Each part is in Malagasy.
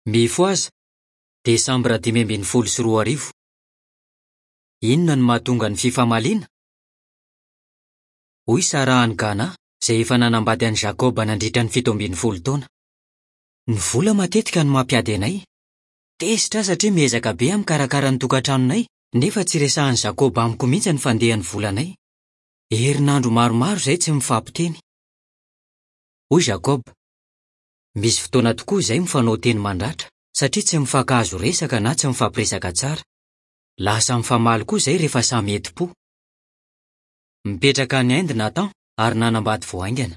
Mifohaza! Desambra 2015. Inona no mahatonga ny fifamaliana? Hoy Sarah any Ghana, izay efa nanambady an'i Jacob nandritra ny 17 taona. Ny vola matetika no mampiady anay. Tezitra aho satria miezaka be aho mikarakara ny tokantranonay, nefa tsy resahin'i Jacob amiko mihitsy ny fandehan'ny volanay. Herinandro maromaro izahay tsy mifampiteny. Hoy Jacob, Misy fotoana tokoa izay mifanao teny mandratra satria tsy mifankahazo resaka na tsy mifampiresaka tsara. Lasa mifamaly koa izay rehefa samy entim-po. Mipetraka any Inde Nathan ary nanambady vao haingana.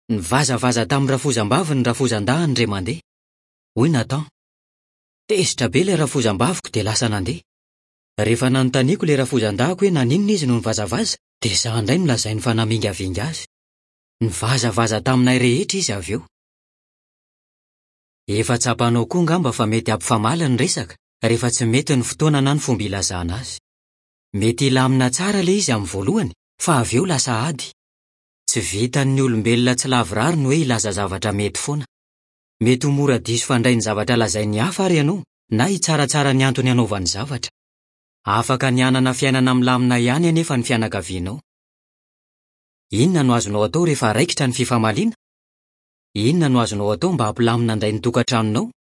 Nivazavaza tamin'ny rafozam-baviny ny rafozan-dahiny indray mandeha. Hoy Nathan, Tezitra be ilay rafozam-baviko dia lasa nandeha. Rehefa nanontaniako ilay rafozan-dahiko hoe naninona izy no nivazavaza dia izaho indray no lazainy fa namingavinga azy. Nivazavaza taminay rehetra izy avy eo. Efa tsapanao koa angamba fa mety hampifamaly ny resaka rehefa tsy mety ny fotoana na ny fomba ilazana azy. Mety hilamina tsara ilay izy amin'ny voalohany fa avy eo lasa ady. Tsy vitan'ny olombelona tsy lavorary ny hoe hilaza zavatra mety foana. Mety ho mora diso fandray ny zavatra lazain'ny hafa àry ianao na hitsaratsara ny antony anaovany zavatra. Afaka ny hanana fiainana milamina ihany anefa ny fianakavianao. Inona no azonao atao rehefa raikitra ny fifamaliana? Inona no azonao atao mba hampilamina indray ny tokantranonao?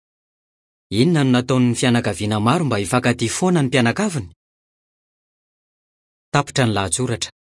Inona no nataon'ny fianakaviana maro mba hifankatia foana ny mpianakaviny? Tapitra ny lahatsoratra.